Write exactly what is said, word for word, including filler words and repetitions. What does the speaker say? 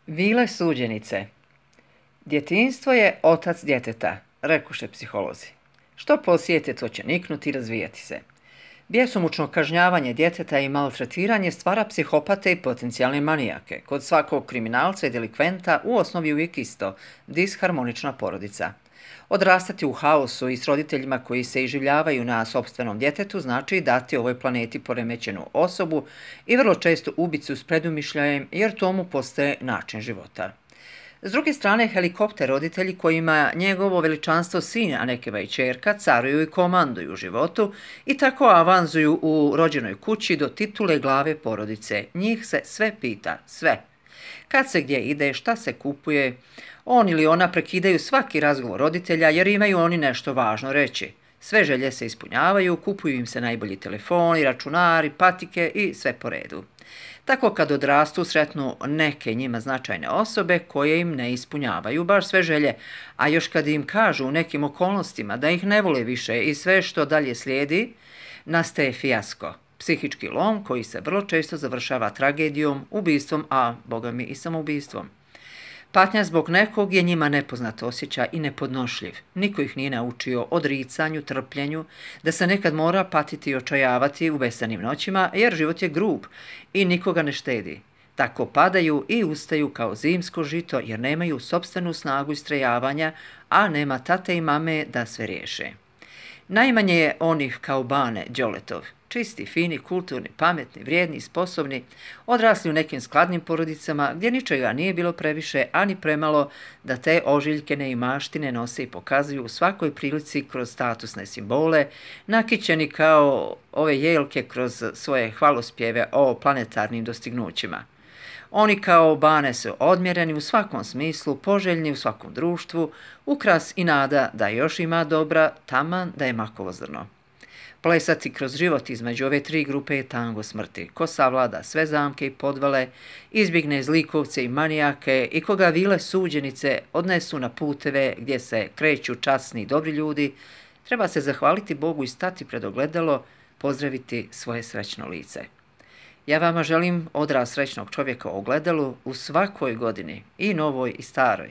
Vile suđenice. Djetinjstvo je otac djeteta, rekuše psiholozi. Što posijete, to će niknuti i razvijati se. Bjesomučno kažnjavanje djeteta i maltretiranje stvara psihopate i potencijalne manijake. Kod svakog kriminalca i delikventa u osnovi uvijek isto, disharmonična porodica. Odrastati u haosu i s roditeljima koji se iživljavaju na sopstvenom djetetu znači dati ovoj planeti poremećenu osobu i vrlo često ubicu s predumišljajem jer tomu postaje način života. S druge strane, helikopter roditelji kojima njegovo veličanstvo sin, a nekeva i ćerka, caruju i komanduju u životu i tako avanzuju u rođenoj kući do titule glave porodice. Njih se sve pita, sve. Kad se gdje ide, šta se kupuje, on ili ona prekidaju svaki razgovor roditelja jer imaju oni nešto važno reći. Sve želje se ispunjavaju, kupuju im se najbolji telefoni, računari, patike i sve po redu. Tako kad odrastu sretnu neke njima značajne osobe koje im ne ispunjavaju baš sve želje, a još kad im kažu u nekim okolnostima da ih ne vole više i sve što dalje slijedi, nastaje fijasko, psihički lom koji se vrlo često završava tragedijom, ubistvom, a bogami i samoubistvom. Patnja zbog nekog je njima nepoznat osjećaj i nepodnošljiv. Niko ih nije naučio odricanju, trpljenju, da se nekad mora patiti i očajavati u besanim noćima, jer život je grub i nikoga ne štedi. Tako padaju i ustaju kao zimsko žito, jer nemaju sopstvenu snagu istrajavanja, a nema tate i mame da sve riješe. Najmanje je onih kao Bane Đoletov, čisti, fini, kulturni, pametni, vrijedni, sposobni, odrasli u nekim skladnim porodicama gdje ničega nije bilo previše, ani premalo da te ožiljke neimaštine nose i pokazuju u svakoj prilici kroz statusne simbole, nakićeni kao ove jelke kroz svoje hvalospjeve o planetarnim dostignućima. Oni kao Bane su odmjereni u svakom smislu, poželjni u svakom društvu, ukras i nada da još ima dobra, taman da je makovo zrno. Plesati kroz život između ove tri grupe je tango smrti. Ko savlada sve zamke i podvale, izbjegne zlikovce i manijake i koga vile suđenice odnesu na puteve gdje se kreću časni i dobri ljudi, treba se zahvaliti Bogu i stati pred ogledalo, pozdraviti svoje srećno lice. Ja vama želim odraz srećnog čovjeka u ogledalu u svakoj godini, i novoj i staroj.